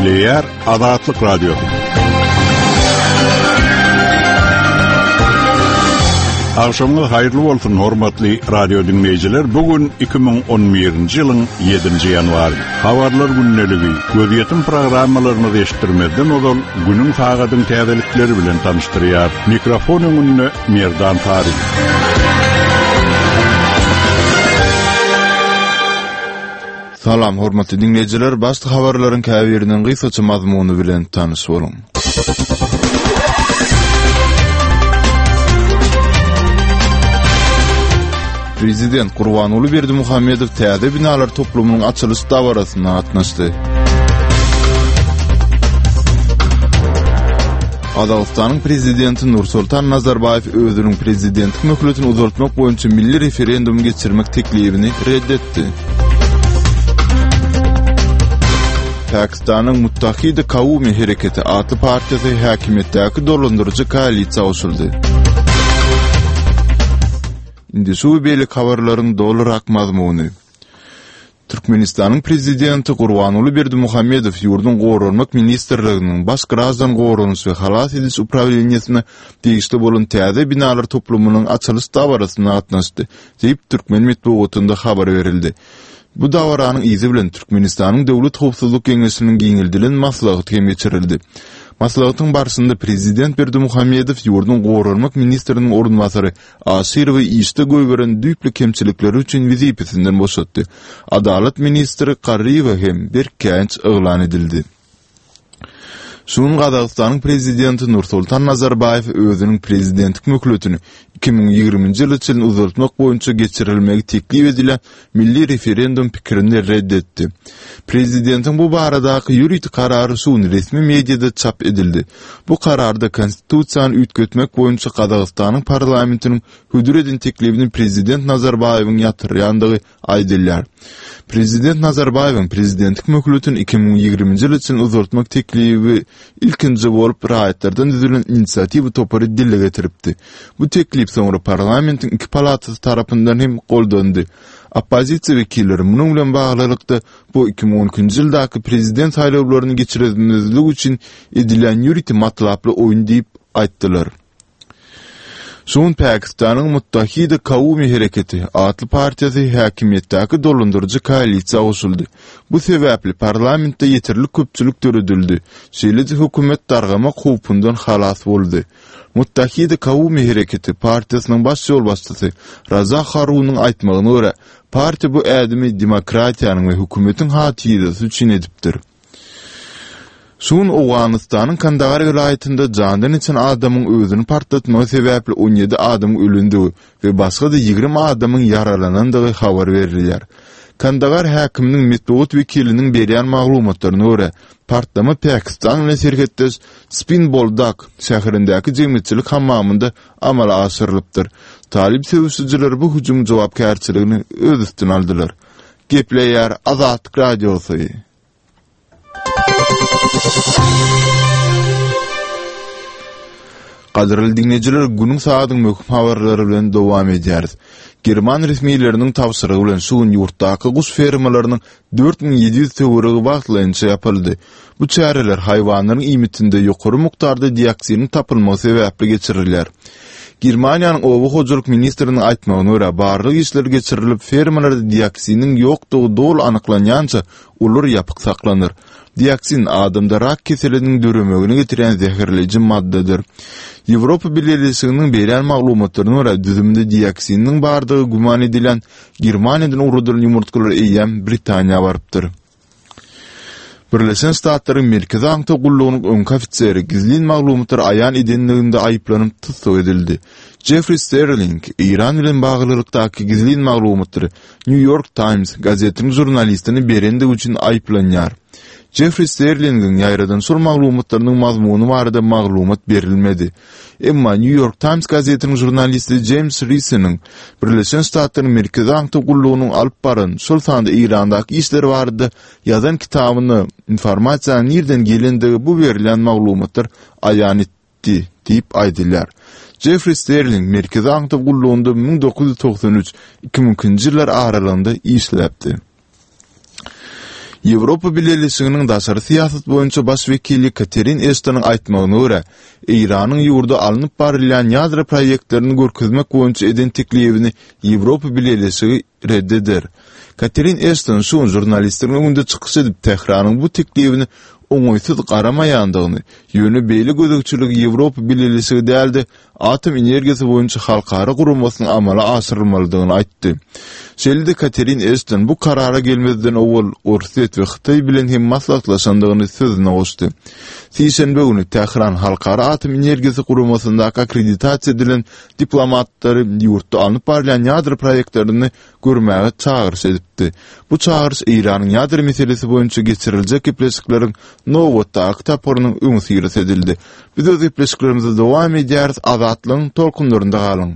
Gepleýär Azatlyk Radiosy. Agşamyňyz haýyrly bolsun, hormatly radio diňleýjiler. Bu gün 2011-nji ýylyň 7-nji ýanwary. Habarlar gündeligi, gözýetim programmalarymyzy eşitdirmezden ozal, günüň sagadyň täzelikleri bilen tanyşdyrýar. Mikrofon öňünde Merdan Taryk. Salam hormatly diňleýjiler, başda habarlaryň käbiriniň gysgaça mazmuny bilen tanyş boluň. Prezident Gurbanguly Berdimuhamedow täze binalar toplumynyň açylyş dabarasyna gatnaşdy. Gazagystanyň prezidenti Nursultan Nazarbaýew özüniň prezidentlik möhletini uzaltmak boýunça milli referendum geçirmek teklibini red etdi. Pakistanyň Muttahida Kaumi Hereketi atly partiýasy häkimiýetdäki dolandyryjy koalisiýa goşuldy. Indi şu we beýleki habarlaryň dolurak mazmuny. Türkmenistanyň Prezidenti Gurbanguly Berdimuhamedow ýurduň Goranmak ministrliginiň Baş graždan goranyş we halas ediş uprawleniýesine degişli bolan täze binalar toplumynyň açylyş dabarasyna gatnaşdy, diýip, türkmen metbugatynda habar berildi. Bu dabaranyň yzy bilen Türkmenistanyň Döwlet howpsuzlyk geňeşiniň giňeldilen maslahaty hem geçirildi. Maslahatyň barşynda prezident Berdimuhamedow ýurduň goranmak ministriniň orunbasary Aşyrowy işde goýberen düýpli kemçilikleri üçin wezipesinden boşatdy. Adalat ministri Garryýewe hem berk käýinç yglan edildi. Şu gün Gazagystanyň Prezidenti Nursultan Nazarbaýew özüniň prezidentlik möhletini 2020-nji ýyla çenli uzaltmak boýunça geçirilmegi teklip edilen milli referendum pikirini red etdi. Prezidentiň bu baradaky ýörite karary şu gün resmi mediada çap edildi. Bu kararda Konstitusiýany üýtgetmek boýunça Gazagystanyň parlamentiniň hödür eden teklibini prezident Nazarbaýewiň ýatyrýandygy aýdylýar. Prezident Nazarbaýewiň prezidentlik möhletini 2020-nji ýyla çenli uzaltmak teklibi ilkinji bolup raýatlardan düzülen inisiatiwa topary dile getiripdi. Bu teklip soňra parlamentiň iki palatasy tarapyndan hem goldandy. Oppozisiýa wekilleri munuň bilen baglylykda bu 2012-nji ýyldaky prezident saýlawlaryny geçirmezlik üçin edilýän ýörite matlaply oýun diýip aýtdylar. Şu gün Pakistanyň Muttahida Kaumi Hereketi atly partiýasy häkimiýetdäki dolandyryjy koalisiýa goşuldy. Bu sebäpli parlamentde ýeterlik köpçülik döredildi, şeýle-de hökümet dargamak howpundan halas boldy. Muttahida Kaumi Hereketi partiýasynyň baş ýolbaşçysy Raza Harunyň aýtmagyna görä, partiýa bu ädimi demokratiýanyň we hökümetiň hatyrasy üçin edipdir. Şu gün Owganystanyň Kandahar welaýatynda jandan geçen adamyň özüni partlatmagy sebäpli 17 adamyň ölendigi we başga-da 20 adamyň ýaralanandygy habar berilýär. Kandahar häkiminiň metbugat wekiliniň berýän maglumatlaryna görä, partlama Pakistan bilen serhetdeş Spin Boldak şäherindäki jemgyýetçilik hammamynda amala aşyrylypdyr. Talyp söweşijileri bu hüjümiň jogapkärçiligini öz üstüne aldylar. Gepleýär Azatlyk Radiosy. Gadyrly diňleýjiler, günüň sagadyň möhüm habarlary bilen dowam edýäris. German resmileriniň tabşyrygy bilen şu gün ýurtdaky guş fermalarynyň 4700 töweregi wagtlaýynça ýapyldy. Bu çäreler haýwanlaryň iýmitinde ýokary mukdarda dioksiniň tapylmagy sebäpli geçirilýär. Germaniýanyň oba hojalyk ministriniň aýtmagyna görä, barlag işleri geçirilip, fermalarda dioksiniň ýokdugy doly anyklanýança, olar ýapyk saklanar. Dioksin adamda rak keseliniň döremegine getirýän zäherleýji maddadyr. Ýewropa Bileleşiginiň berýän maglumatlaryna görä, düzüminde dioksiniň bardygy güman edilýän Germaniýadan ugradylan ýumurtgalar eýýäm Britaniýa barypdyr. Birleşen Ştatlaryň Merkezi aňtaw gullugynyň öňki ofiseri gizlin maglumatlary aýan edenliginde aýyplanyp tussag edildi. Jeffri Sterling Eýran bilen baglylykdaky gizlin maglumatlary New York Times gazetiniň žurnalistine berendigi üçin aýyplanýar. Jeffri Sterlingiň ýaýradan şol maglumatlarynyň mazmuny barada maglumat berilmedi. Emma New York Times gazetiniň žurnalisti Jeýms Risiniň Birleşen Ştatlaryň Merkezi aňtaw gullugynyň alyp baran, şol sanda Eýrandaky işleri barada ýazan kitabynda informasiýanyň nirden gelendigi bu berilýän maglumatlar aýan etdi diýip aýdylýar. Jeffri Sterling Merkezi aňtaw gullugynda 1993, 2002-nji ýyllar aralygynda işläpdi. Ýewropa Bileleşiginiň daşary syýasat boýunça baş wekili Katerin Eştonyň aýtmagyna görä, Eýranyň ýurda alnyp barylýan ýadro proýektlerini görkezmek boýunça eden teklibini Ýewropa Bileleşigi red eder. Katerin Eşton şu gün žurnalistleriň öňünde çykyş edip, Tähranyň bu teklibine oňaýsyz garamaýandygyny, ýöne beýle gözegçiligi Ýewropa Bileleşigi däl-de, Atom energiýasy boýunça halkara guramasynyň amala aşyrylmalydygyny aýtdy. Şeýle-de Katerin Eşton bu karara gelmezden owal Orsýet we Hytaý bilen hem maslahatlaşandygyny sözüne goşdy. Sişenbe güni Tähran Halkara atom energiýasy guramasyndaky akkreditasiýa edilen diplomatlary ýurtda alnyp barylýan ýadro proýektlerini görmäge çagyryş edipdi. Bu çagyryş Eýranyň ýadro meselesi boýunça geçiriljek gepleşikleriň nobatdaky tapgyrynyň öňüsyrasy edildi. Biz öz gepleşiklerimizi dowam edýäris, Azatlygyň tolkunlarynda galyň!